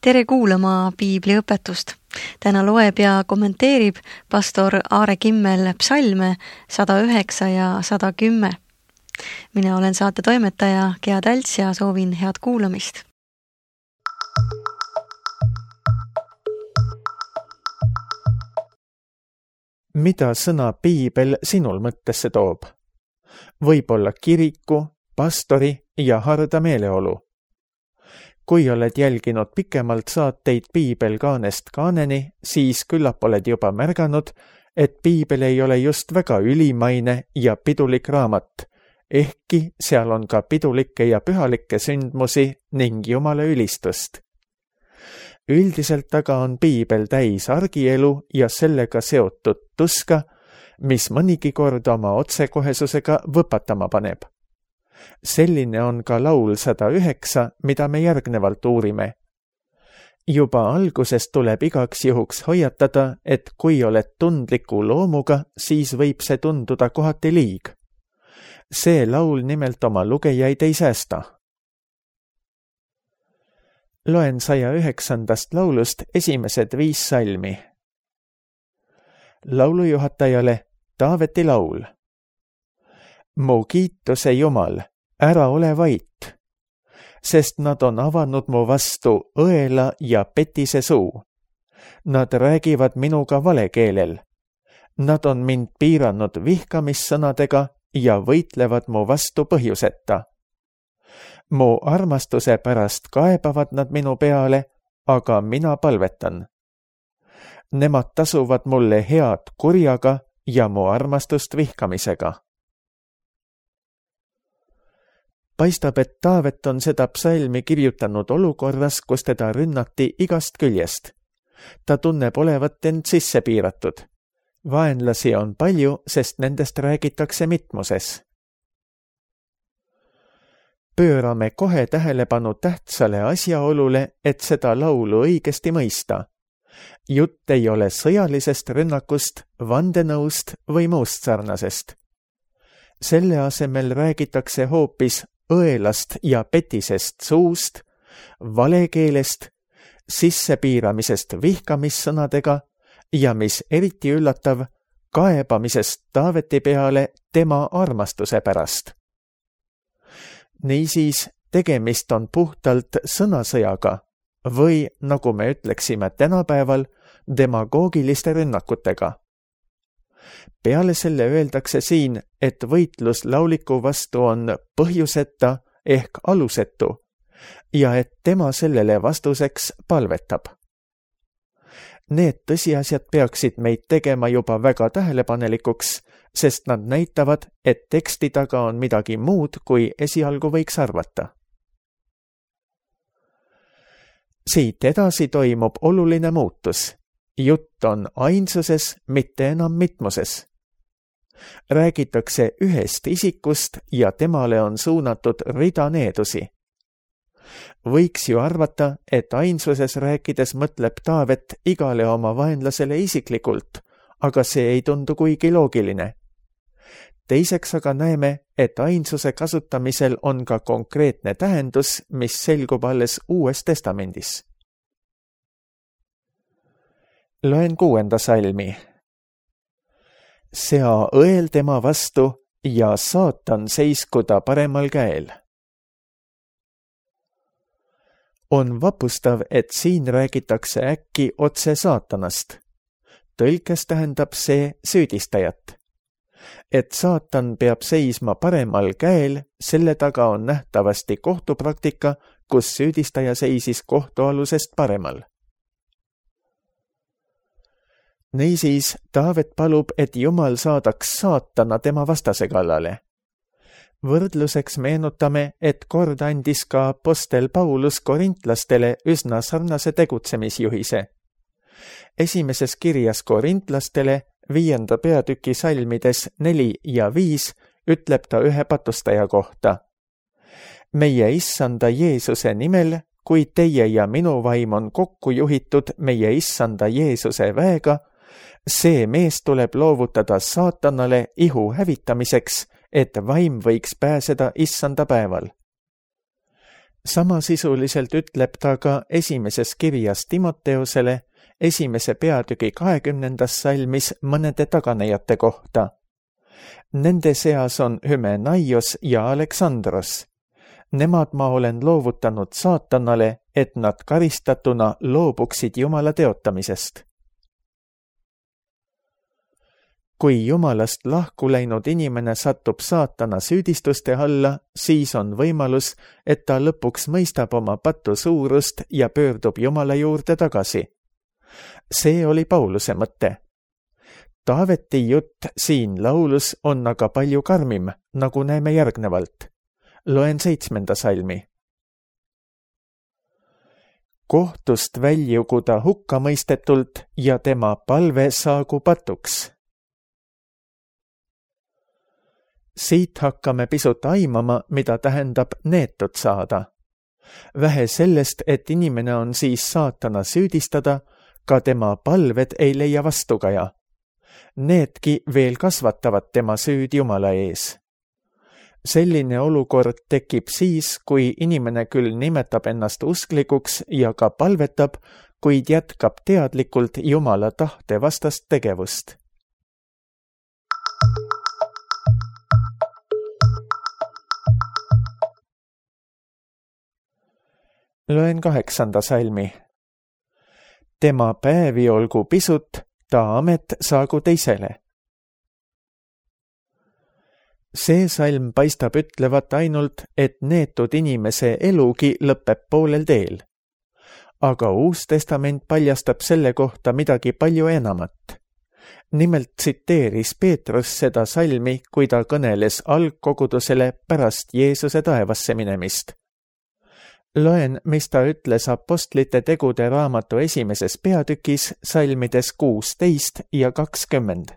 Tere kuulama piibliõpetust. Täna loeb ja kommenteerib pastor Aare Kimmel psalme 109 ja 110. Mina olen saate toimetaja Gea Tälts ja soovin head kuulamist. Mida sõna piibel sinul mõttesse toob? Võib-olla kiriku, pastori ja harda meeleolu. Kui oled jälginud pikemalt saateid piibelkaanest kaaneni, siis küllap oled juba märganud, et piibel ei ole just väga ülimaine ja pidulik raamat, ehkki seal on ka pidulikke ja pühalikke sündmusi ning Jumala ülistust. Üldiselt aga on piibel täis argielu ja sellega seotud tuska, mis mõnigi kord oma otsekohesusega võpatama paneb. Selline on ka laul 109, mida me järgnevalt uurime. Juba algusest tuleb igaks juhuks hoiatada, et kui oled tundliku loomuga, siis võib see tunduda kohati liig. See laul nimelt oma lugejaid ei säästa. Loen 109. laulust esimesed 5 salmi. Laulujuhatajale Taaveti laul. Mu kiituse Jumal, ära ole vait, sest nad on avanud mu vastu õela ja petise suu. Nad räägivad minuga valekeelel. Nad on mind piiranud vihkamissõnadega ja võitlevad mu vastu põhjuseta. Mu armastuse pärast kaebavad nad minu peale, aga mina palvetan. Nemad tasuvad mulle head kurjaga ja mu armastust vihkamisega. Paistab, et Taavet on seda psalmi kirjutanud olukorras, kus teda rünnati igast küljest. Ta tunneb olevat end sisse piiratud. Vaenlasi on palju, sest nendest räägitakse mitmuses. Pöörame kohe tähelepanu tähtsale asjaolule, et seda laulu õigesti mõista. Jutt ei ole sõjalisest rünnakust, vandenõust või muust sarnasest. Selle asemel räägitakse hoopis õelast ja petisest suust, valekeelest, sissepiiramisest vihkamissõnadega ja mis eriti üllatav, kaebamisest Taaveti peale tema armastuse pärast. Niisiis, tegemist on puhtalt sõnasõjaga või, nagu me ütleksime tänapäeval, demagoogiliste rünnakutega. Peale selle öeldakse siin, et võitlus lauliku vastu on põhjuseta ehk alusetu ja et tema sellele vastuseks palvetab. Need tõsiasjad peaksid meid tegema juba väga tähelepanelikuks, sest nad näitavad, et teksti taga on midagi muud, kui esialgu võiks arvata. Siit edasi toimub oluline muutus. Jutt on ainsuses, mitte enam mitmuses. Räägitakse ühest isikust ja temale on suunatud rida needusi. Võiks ju arvata, et ainsuses rääkides mõtleb Taavet igale oma vaenlasele isiklikult, aga see ei tundu kuigi loogiline. Teiseks aga näeme, et ainsuse kasutamisel on ka konkreetne tähendus, mis selgub alles Uues Testamendis. Loen 6. salmi. Sea õel tema vastu ja saatan seiskuda paremal käel. On vapustav, et siin räägitakse äkki otse saatanast. Tõlkes tähendab see süüdistajat. Et saatan peab seisma paremal käel, selle taga on nähtavasti kohtupraktika, kus süüdistaja seisis kohtualusest paremal. Niisiis, Taavet palub, et Jumal saadaks saatana tema vastase kallale. Võrdluseks meenutame, et kord andis ka apostel Paulus korintlastele üsna sarnase tegutsemisjuhise. Esimeses kirjas korintlastele 5. peatüki salmides 4 ja 5 ütleb ta ühe patustaja kohta. Meie issanda Jeesuse nimel, kui teie ja minu vaim on kokku juhitud meie issanda Jeesuse väega, see mees tuleb loovutada saatanale ihu hävitamiseks, et vaim võiks pääseda issanda päeval. Samasisuliselt ütleb ta ka esimeses kirjas Timoteusele 1. peatüki 20. salmis mõnede taganejate kohta. Nende seas on Hymenaios ja Aleksandros. Nemad ma olen loovutanud saatanale, et nad karistatuna loobuksid Jumala teotamisest. Kui Jumalast lahku läinud inimene satub saatana süüdistuste alla, siis on võimalus, et ta lõpuks mõistab oma patu suurust ja pöördub Jumala juurde tagasi. See oli Pauluse mõte. Taaveti jutt siin laulus on aga palju karmim, nagu näeme järgnevalt. Loen 7. salmi. Kohtust väljugu ta hukkamõistetult ja tema palve saagu patuks. Siit hakkame pisut aimama, mida tähendab neetud saada. Vähe sellest, et inimene on siis saatana süüdistada, ka tema palved ei leia vastukaja. Needki veel kasvatavad tema süüd Jumala ees. Selline olukord tekib siis, kui inimene küll nimetab ennast usklikuks ja ka palvetab, kuid jätkab teadlikult Jumala tahte vastast tegevust. Loen 8. salmi. Tema päevi olgu pisut, ta amet saagu teisele. See salm paistab ütlevat ainult, et neetud inimese elugi lõpeb poolel teel. Aga Uus Testament paljastab selle kohta midagi palju enamat. Nimelt tsiteeris Peetrus seda salmi, kui ta kõneles algkogudusele pärast Jeesuse taevasse minemist. Loen, mis ta ütles Apostlite tegude raamatu 1. peatükis salmides 16 ja 20.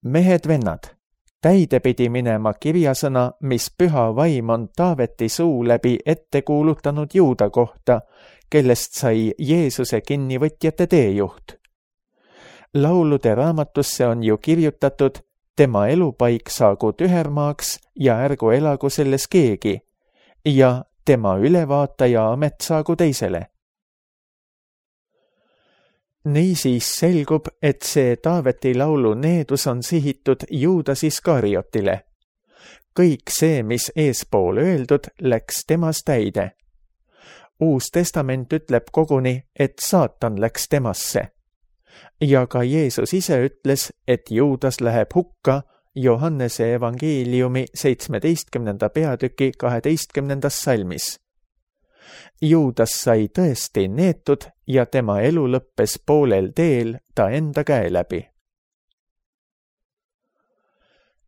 Mehed-vennad, täide pidi minema kirjasõna, mis püha vaim on Taaveti suu läbi ette kuulutanud Juuda kohta, kellest sai Jeesuse kinnivõtjate teejuht. Laulude raamatusse on ju kirjutatud, tema elupaik saagu tühermaaks ja ärgu elagu selles keegi, ja tema ülevaataja amet saagu teisele. Niisiis selgub, et see Taaveti laulu needus on sihitud Juudas Iskariotile. Kõik see, mis eespool öeldud, läks temas täide. Uus Testament ütleb koguni, et saatan läks temasse. Ja ka Jeesus ise ütles, et Juudas läheb hukka Johannese evangeeliumi 17. peatüki 12. salmis. Juudas sai tõesti neetud ja tema elu lõppes poolel teel ta enda käe läbi.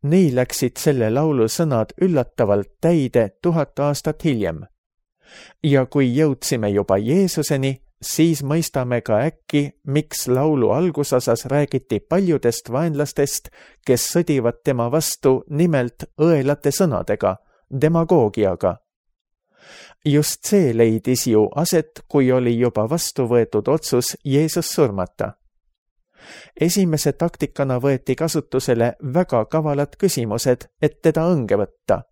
Nii läksid selle laulu sõnad üllatavalt täide 1000 aastat hiljem. Ja kui jõudsime juba Jeesuseni, siis mõistame ka äkki, miks laulu algusosas räägiti paljudest vaenlastest, kes sõdivad tema vastu nimelt õelate sõnadega, demagoogiaga. Just see leidis ju aset, kui oli juba vastu võetud otsus Jeesus surmata. Esimese taktikana võeti kasutusele väga kavalad küsimused, et teda õnge võtta.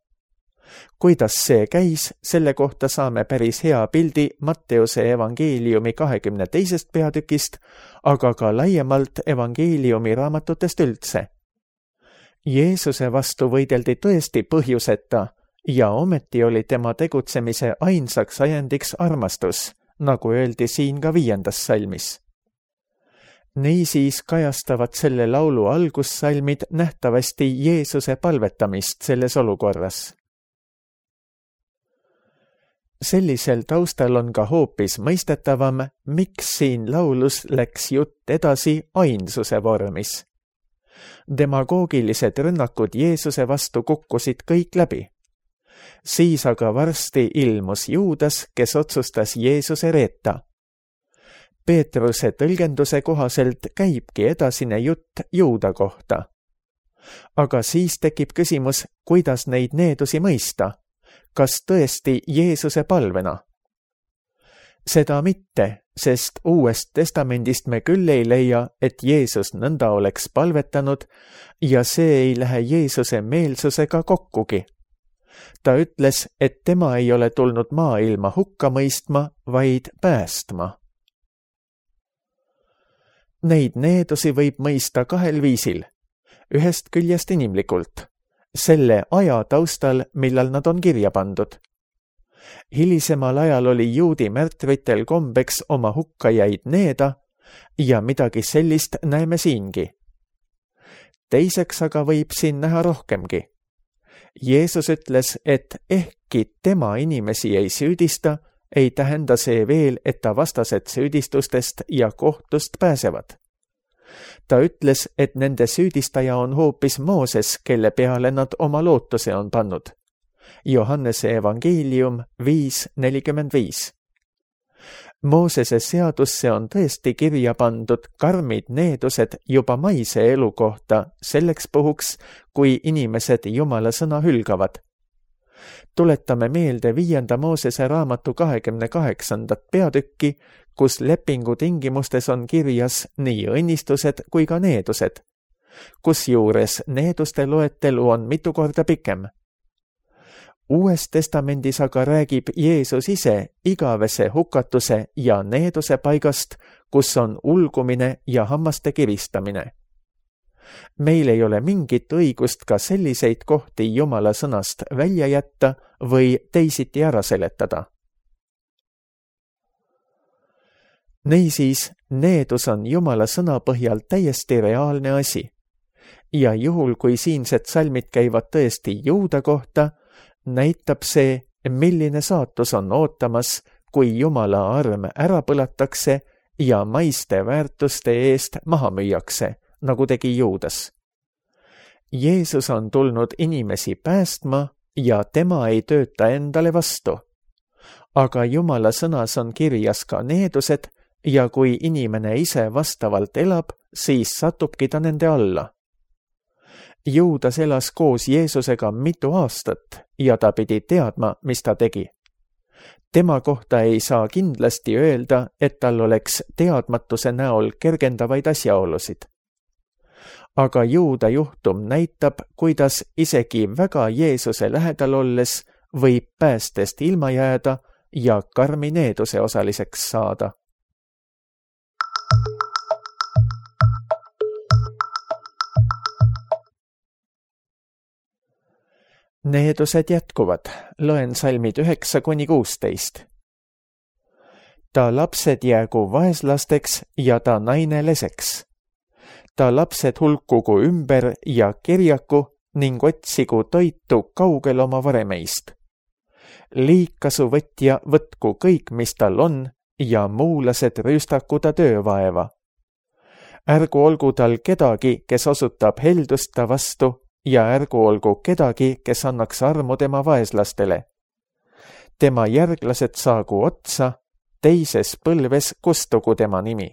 Kuidas see käis, selle kohta saame päris hea pildi Matteuse evangeeliumi 22. peatükist, aga ka laiemalt evangeeliumi raamatutest üldse. Jeesuse vastu võideldi tõesti põhjuseta ja ometi oli tema tegutsemise ainsaks ajendiks armastus, nagu öeldi siin ka 5. salmis. Niisiis kajastavad selle laulu algussalmid nähtavasti Jeesuse palvetamist selles olukorras. Sellisel taustal on ka hoopis mõistetavam, miks siin laulus läks jutt edasi ainsuse vormis. Demagoogilised rünnakud Jeesuse vastu kukkusid kõik läbi. Siis aga varsti ilmus Juudas, kes otsustas Jeesuse reeta. Peetruse tõlgenduse kohaselt käibki edasine jutt Juuda kohta. Aga siis tekib küsimus, kuidas neid needusi mõista. Kas tõesti Jeesuse palvena? Seda mitte, sest Uuest Testamendist me küll ei leia, et Jeesus nõnda oleks palvetanud ja see ei lähe Jeesuse meelsusega kokkugi. Ta ütles, et tema ei ole tulnud maailma hukka mõistma, vaid päästma. Neid needusi võib mõista kahel viisil. Ühest küljest inimlikult, selle aja taustal, millal nad on kirja pandud. Hilisemal ajal oli juudi märtritel kombeks oma hukkajaid needa ja midagi sellist näeme siingi. Teiseks aga võib siin näha rohkemgi. Jeesus ütles, et ehkki tema inimesi ei süüdista, ei tähenda see veel, et ta vastased süüdistustest ja kohtust pääsevad. Ta ütles, et nende süüdistaja on hoopis Mooses, kelle peale nad oma lootuse on pannud. Johannese evangeelium 5:45. Moosese seadusse on tõesti kirja pandud karmid needused juba maise elu kohta selleks puhuks, kui inimesed Jumala sõna hülgavad. Tuletame meelde 5. Moosese raamatu 28. peatükki, kus lepingu tingimustes on kirjas nii õnnistused kui ka needused, kusjuures needuste loetelu on mitu korda pikem. Uues testamendis aga räägib Jeesus ise igavese hukatuse ja needuse paigast, kus on ulgumine ja hammaste kiristamine. Meil ei ole mingit õigust ka selliseid kohti Jumala sõnast välja jätta või teisiti ära seletada. Niisiis, needus on Jumala sõna põhjal täiesti reaalne asi. Ja juhul, kui siinsed salmid käivad tõesti juuda kohta, näitab see, milline saatus on ootamas, kui Jumala arm ära põlatakse ja maiste väärtuste eest maha müüakse, nagu tegi Juudas. Jeesus on tulnud inimesi päästma ja tema ei tööta endale vastu. Aga Jumala sõnas on kirjas ka needused ja kui inimene ise vastavalt elab, siis satubki ta nende alla. Juudas elas koos Jeesusega mitu aastat ja ta pidi teadma, mis ta tegi. Tema kohta ei saa kindlasti öelda, et tal oleks teadmatuse näol kergendavaid asjaolusid. Aga Juuda juhtum näitab, kuidas isegi väga Jeesuse lähedal olles võib päästest ilma jääda ja karmi needuse osaliseks saada. Needused jätkuvad, loen salmid 9-16. Ta lapsed jäägu vaeslasteks ja ta naine leseks. Ta lapsed hulkugu ümber ja kirjaku ning otsigu toitu kaugel oma varemeist. Liikasu võtja võtku kõik, mis tal on, ja muulased rüüstaku ta töövaeva. Ärgu olgu tal kedagi, kes osutab heldust ta vastu, ja ärgu olgu kedagi, kes annaks armu tema vaeslastele. Tema järglased saagu otsa, teises põlves kustugu tema nimi.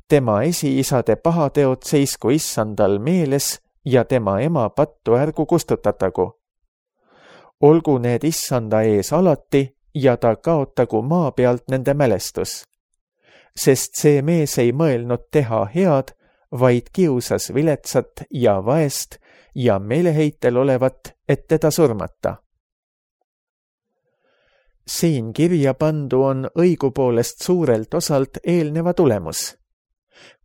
Tema esiisade pahateod seisku issandal meeles ja tema ema pattu ärgu kustutatagu. Olgu need issanda ees alati ja ta kaotagu maa pealt nende mälestus. Sest see mees ei mõelnud teha head, vaid kiusas viletsat ja vaest ja meeleheitel olevat, et teda surmata. Siin kirja pandu on õigupoolest suurelt osalt eelneva tulemus.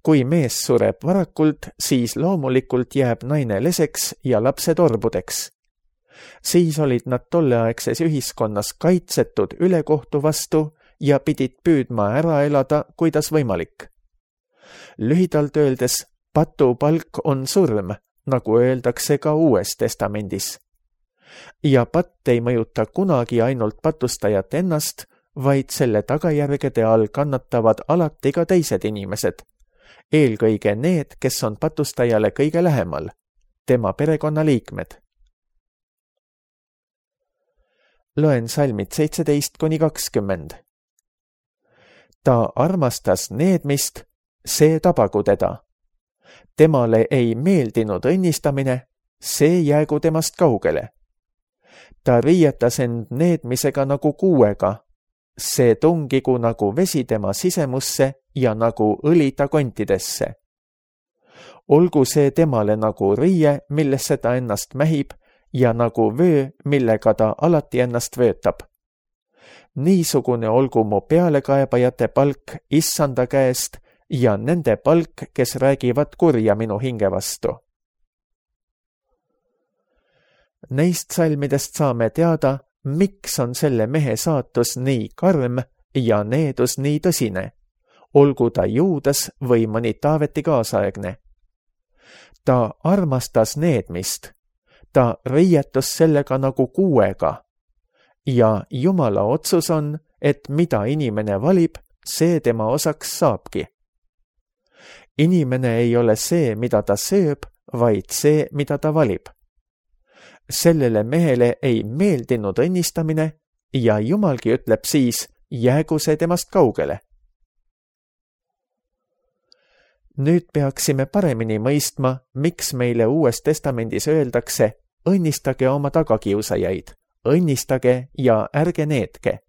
Kui mees sureb varakult, siis loomulikult jääb naine leseks ja lapsed orbudeks. Siis olid nad tolleaegses ühiskonnas kaitsetud ülekohtu vastu ja pidid püüdma ära elada, kuidas võimalik. Lühidalt öeldes, patupalk on surm, nagu öeldakse ka Uues testamendis. Ja patt ei mõjuta kunagi ainult patustajat ennast, vaid selle tagajärgede all kannatavad alati ka teised inimesed, eelkõige need, kes on patustajale kõige lähemal, tema perekonnaliikmed. Loen salmid 17-20. Ta armastas needmist, see tabagu teda. Temale ei meeldinud õnnistamine, see jäägu temast kaugele. Ta riietas end needmisega nagu kuuega, see tungigu nagu vesi tema sisemusse ja nagu õli ta kontidesse. Olgu see temale nagu riie, millesse ta ennast mähib, ja nagu vöö, millega ta alati ennast vöötab. Niisugune olgu mu pealekaebajate palk issanda käest ja nende palk, kes räägivad kurja minu hinge vastu. Neist salmidest saame teada, miks on selle mehe saatus nii karm ja needus nii tõsine, olgu ta Juudas või mõni Taaveti kaasaegne. Ta armastas needmist, ta riietus sellega nagu kuuega ja Jumala otsus on, et mida inimene valib, see tema osaks saabki. Inimene ei ole see, mida ta sööb, vaid see, mida ta valib. Sellele mehele ei meeldinud õnnistamine ja Jumalgi ütleb siis, jäägu see temast kaugele. Nüüd peaksime paremini mõistma, miks meile Uues Testamendis öeldakse, õnnistage oma tagakiusajaid, õnnistage ja ärge needke.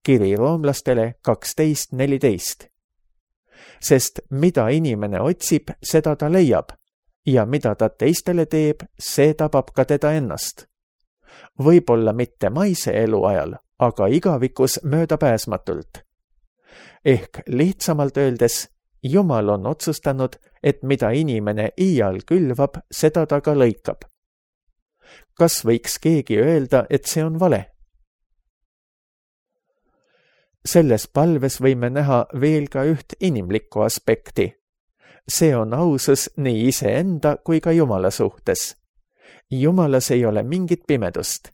Kiri roomlastele 12:14. Sest mida inimene otsib, seda ta leiab ja mida ta teistele teeb, see tabab ka teda ennast. Võib-olla mitte maise elu ajal, aga igavikus möödapääsmatult. Ehk lihtsamalt öeldes, Jumal on otsustanud, et mida inimene iial külvab, seda ta ka lõikab. Kas võiks keegi öelda, et see on vale? Selles palves võime näha veel ka üht inimlikku aspekti. See on ausus nii iseenda kui ka Jumala suhtes. Jumalas ei ole mingit pimedust.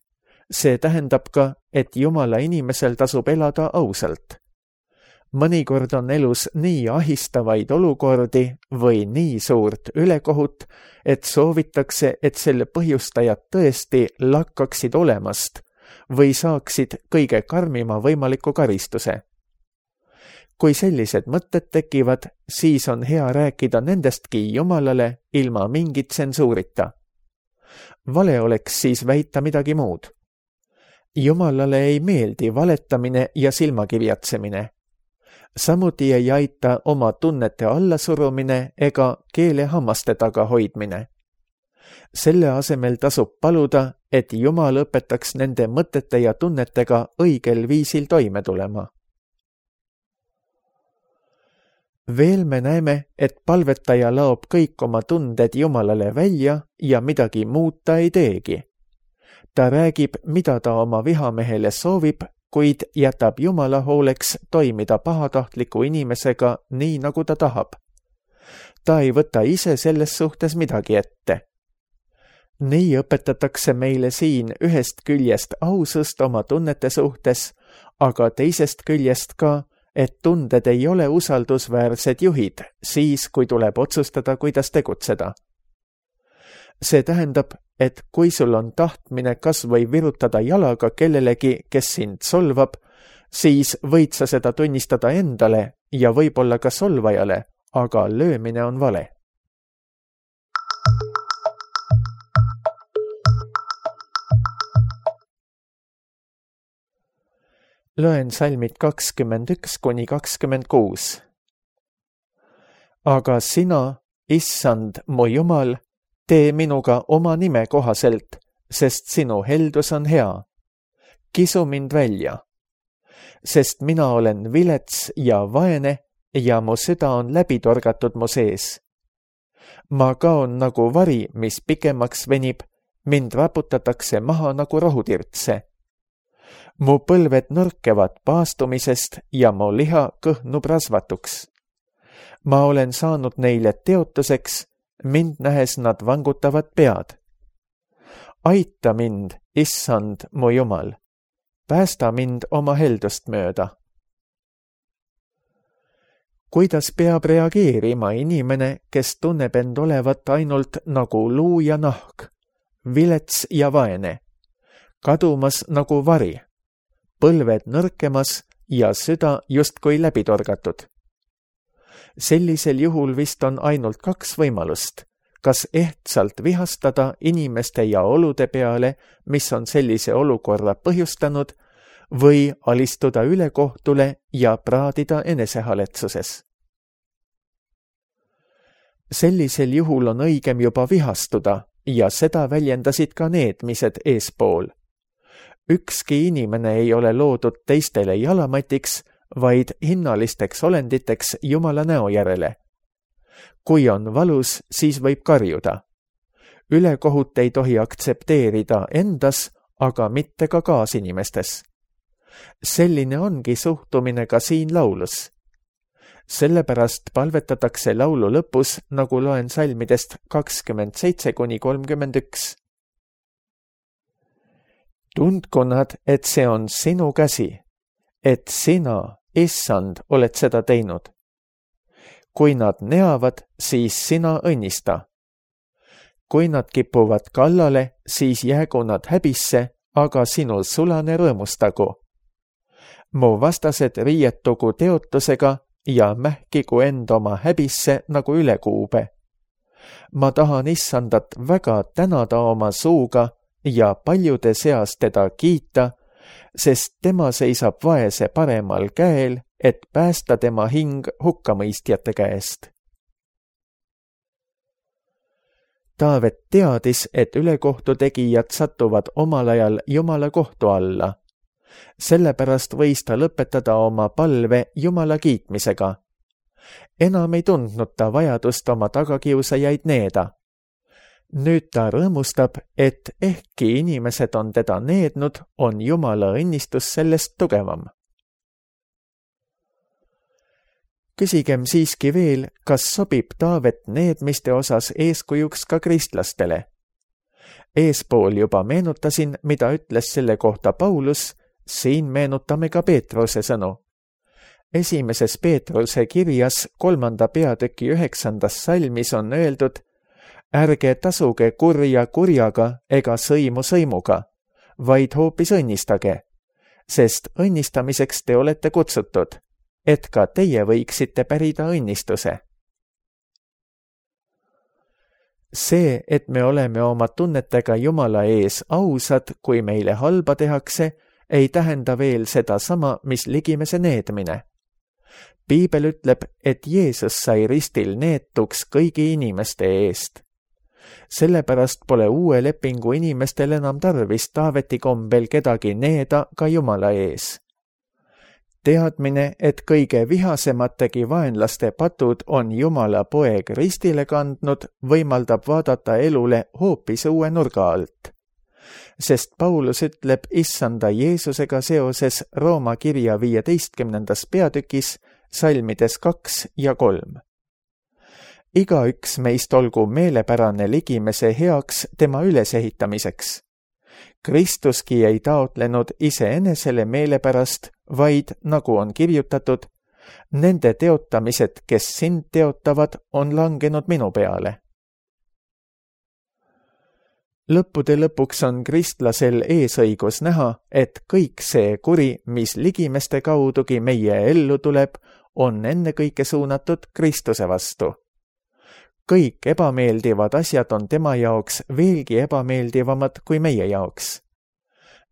See tähendab ka, et Jumala inimesel tasub elada ausalt. Mõnikord on elus nii ahistavaid olukordi või nii suurt ülekohut, et soovitakse, et selle põhjustajad tõesti lakkaksid olemast või saaksid kõige karmima võimaliku karistuse. Kui sellised mõtted tekivad, siis on hea rääkida nendestki Jumalale ilma mingit tsensuurita. Vale oleks siis väita midagi muud. Jumalale ei meeldi valetamine ja silmakirjatsemine. Samuti ei aita oma tunnete allasurumine ega keele hammaste taga hoidmine. Selle asemel tasub paluda, et Jumal õpetaks nende mõtete ja tunnetega õigel viisil toime tulema. Veel me näeme, et palvetaja laob kõik oma tunded Jumalale välja ja midagi muud ta ei teegi. Ta räägib, mida ta oma vihamehele soovib, kuid jätab Jumala hooleks toimida pahatahtliku inimesega nii, nagu ta tahab. Ta ei võta ise selles suhtes midagi ette. Nii õpetatakse meile siin ühest küljest ausust oma tunnete suhtes, aga teisest küljest ka, et tunded ei ole usaldusväärsed juhid siis, kui tuleb otsustada, kuidas tegutseda. See tähendab, et kui sul on tahtmine kas või virutada jalaga kellelegi, kes sind solvab, siis võid sa seda tunnistada endale ja võib-olla ka solvajale, aga löömine on vale. Loen salmid 21–26. Aga sina, issand, mu Jumal, tee minuga oma nime kohaselt, sest sinu heldus on hea. Kisu mind välja, sest mina olen vilets ja vaene ja mu süda on läbi torgatud mu sees. Ma kaon nagu vari, mis pikemaks venib, mind raputatakse maha nagu rohutirtse. Mu põlved nõrkevad paastumisest ja mu liha kõhnub rasvatuks. Ma olen saanud neile teotuseks, mind nähes nad vangutavad pead. Aita mind, issand, mu Jumal. Päästa mind oma heldust mööda. Kuidas peab reageerima inimene, kes tunneb end olevat ainult nagu luu ja nahk, vilets ja vaene, kadumas nagu vari, põlved nõrkemas ja süda justkui läbi torgatud? Sellisel juhul vist on ainult kaks võimalust, kas ehtsalt vihastada inimeste ja olude peale, mis on sellise olukorra põhjustanud, või alistuda ülekohtule ja praadida enesehaletsuses. Sellisel juhul on õigem juba vihastuda ja seda väljendasid ka needmised eespool. Ükski inimene ei ole loodud teistele jalamatiks, vaid hinnalisteks olenditeks Jumala näo järele. Kui on valus, siis võib karjuda. Ülekohut ei tohi aktsepteerida endas, aga mitte ka kaasinimestes. Selline ongi suhtumine ka siin laulus. Sellepärast palvetatakse laulu lõpus, nagu loen salmidest 27–31. Tundku nad, et see on sinu käsi, et sina, Issand, oled seda teinud. Kui nad neavad, siis sina õnnista. Kui nad kipuvad kallale, siis jäägu nad häbisse, aga sinu sulane rõõmustagu. Mu vastased riietugu teotusega ja mähkigu end oma häbisse nagu ülekuube. Ma tahan Issandat väga tänada oma suuga ja paljude seas teda kiita, sest tema seisab vaese paremal käel, et päästa tema hing hukkamõistjate käest. Taavet teadis, et ülekohtu tegijad satuvad omal ajal Jumala kohtu alla. Sellepärast võis ta lõpetada oma palve Jumala kiitmisega. Enam ei tundnud ta vajadust oma tagakiusajaid needa. Nüüd ta rõõmustab, et ehkki inimesed on teda neednud, on Jumala õnnistus sellest tugevam. Küsigem siiski veel, kas sobib Taavet needmiste osas eeskujuks ka kristlastele. Eespool juba meenutasin, mida ütles selle kohta Paulus, siin meenutame ka Peetruse sõnu. 1. Peetruse kirjas 3. peatüki 9. salmis on öeldud: ärge tasuge kurja kurjaga ega sõimu sõimuga, vaid hoopis õnnistage, sest õnnistamiseks te olete kutsutud, et ka teie võiksite pärida õnnistuse. See, et me oleme oma tunnetega Jumala ees ausad, kui meile halba tehakse, ei tähenda veel seda sama, mis ligimese needmine. Piibel ütleb, et Jeesus sai ristil neetuks kõigi inimeste eest. Sellepärast pole uue lepingu inimestel enam tarvis Taaveti kombel kedagi needa ka Jumala ees. Teadmine, et kõige vihasemategi vaenlaste patud on Jumala poeg ristile kandnud, võimaldab vaadata elule hoopis uue nurga alt. Sest Paulus ütleb Issanda Jeesusega seoses Rooma kirja 15. peatükis salmides 2 ja 3. Igaüks meist olgu meelepärane ligimese heaks tema ülesehitamiseks. Kristuski ei taotlenud iseenesele meelepärast, vaid, nagu on kirjutatud, nende teotamised, kes sind teotavad, on langenud minu peale. Lõppude lõpuks on kristlasel eesõigus näha, et kõik see kuri, mis ligimeste kaudugi meie ellu tuleb, on ennekõike suunatud Kristuse vastu. Kõik ebameeldivad asjad on tema jaoks veelgi ebameeldivamad kui meie jaoks.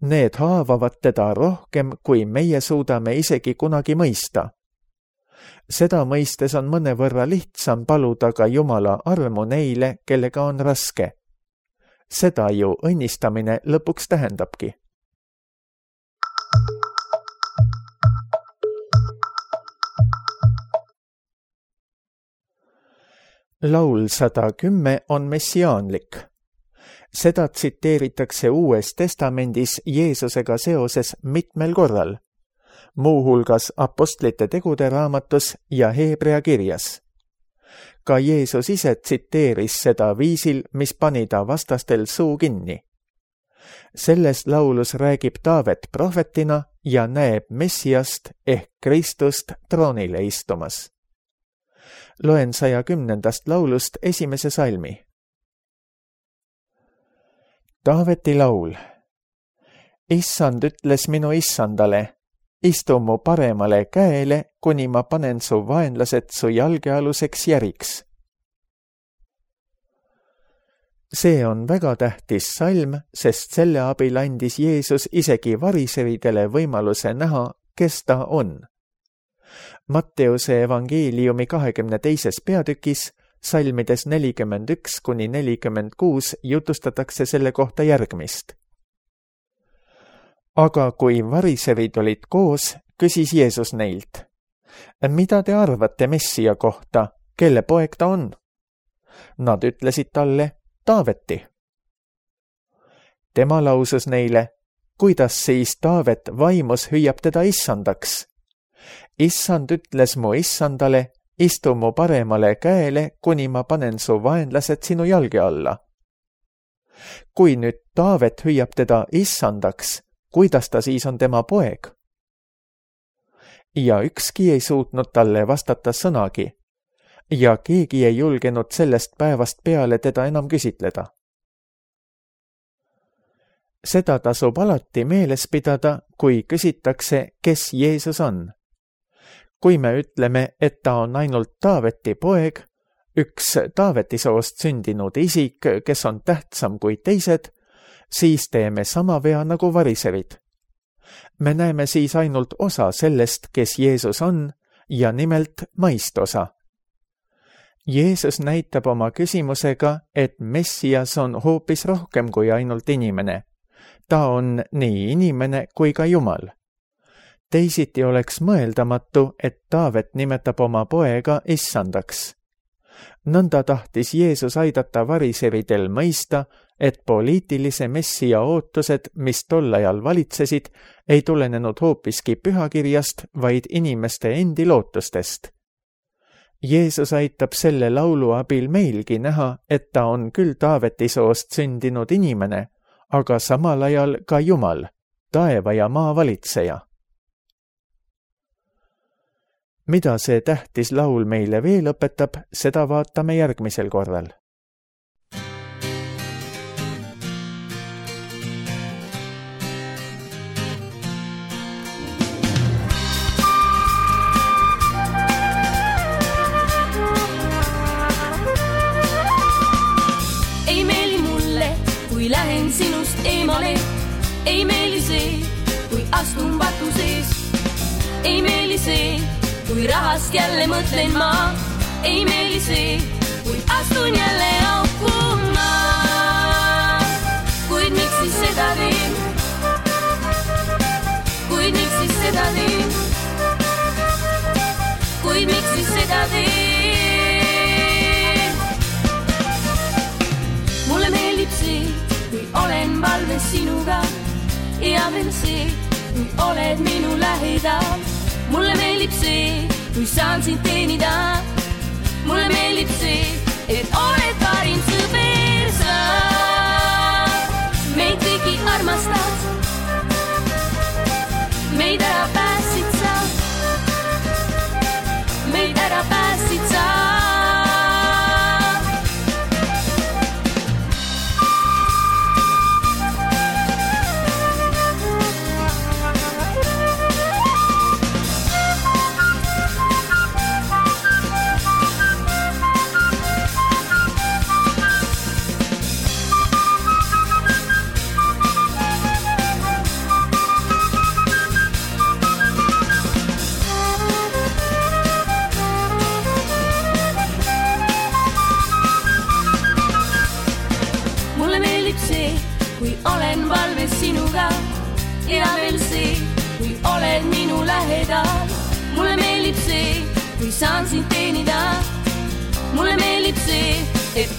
Need haavavad teda rohkem, kui meie suudame isegi kunagi mõista. Seda mõistes on mõnevõrra lihtsam paluda ka Jumala armu neile, kellega on raske. Seda ju õnnistamine lõpuks tähendabki. Laul 110 on messiaanlik. Seda tsiteeritakse Uues Testamendis Jeesusega seoses mitmel korral, muuhulgas Apostlite tegude raamatus ja Heebrea kirjas. Ka Jeesus ise tsiteeris seda viisil, mis pani ta vastastel suu kinni. Selles laulus räägib Taavet prohvetina ja näeb Messiast ehk Kristust troonile istumas. Loen 110. laulust 1. salmi. Taaveti laul. Issand ütles minu issandale, istu mu paremale käele, kuni ma panen su vaenlased su jalgealuseks järiks. See on väga tähtis salm, sest selle abil andis Jeesus isegi variseridele võimaluse näha, kes ta on. Matteuse evangeeliumi 22. peatükis salmides 41–46 jutustatakse selle kohta järgmist. Aga kui variserid olid koos, küsis Jeesus neilt: mida te arvate Messia kohta, kelle poeg ta on? Nad ütlesid talle: Taaveti. Tema lausus neile: kuidas siis Taavet vaimus hüüab teda issandaks? Issand ütles mu issandale: istu mu paremale käele, kuni ma panen su vaenlased sinu jalge alla. Kui nüüd Taavet hüüab teda issandaks, kuidas ta siis on tema poeg? Ja ükski ei suutnud talle vastata sõnagi ja keegi ei julgenud sellest päevast peale teda enam küsitleda. Seda tasub alati meeles pidada, kui küsitakse, kes Jeesus on. Kui me ütleme, et ta on ainult Taaveti poeg, üks Taaveti soost sündinud isik, kes on tähtsam kui teised, siis teeme sama vea nagu variserid. Me näeme siis ainult osa sellest, kes Jeesus on, ja nimelt maist osa. Jeesus näitab oma küsimusega, et Messias on hoopis rohkem kui ainult inimene. Ta on nii inimene kui ka Jumal. Teisiti oleks mõeldamatu, et Taavet nimetab oma poega issandaks. Nõnda tahtis Jeesus aidata variseridel mõista, et poliitilise Messia ootused, mis tol ajal valitsesid, ei tulenenud hoopiski pühakirjast, vaid inimeste endi lootustest. Jeesus aitab selle laulu abil meilgi näha, et ta on küll Taaveti soost sündinud inimene, aga samal ajal ka Jumal, taeva ja maa valitseja. Mida see tähtis laul meile veel õpetab, seda vaatame järgmisel korral. Ei meeli mulle, kui lähen sinust eemale. Ei meeli see, kui astun vatu sees. Ei meeli see, kui rahast jälle mõtlen ma. Ei meeli see, kui astun jälle auku ma. Kuid miks siis seda teen? Kuid miks siis seda teen? Kuid miks siis seda teen? Mulle meeldib see, kui olen valves sinuga. Ja veel see, kui oled minu lähedal. Mulle meeldib see, kui saan sind teenida. Mulle meeldib see, et oled parim sõber sa. Meid kõigi armastad. Meid ära pääsid sa. Meid ära pääsid sa. Kui olen valves sinuga ja veel see, kui oled minu lähedal. Mulle meeldib see, kui saan sind teenida. Mulle meeldib see, et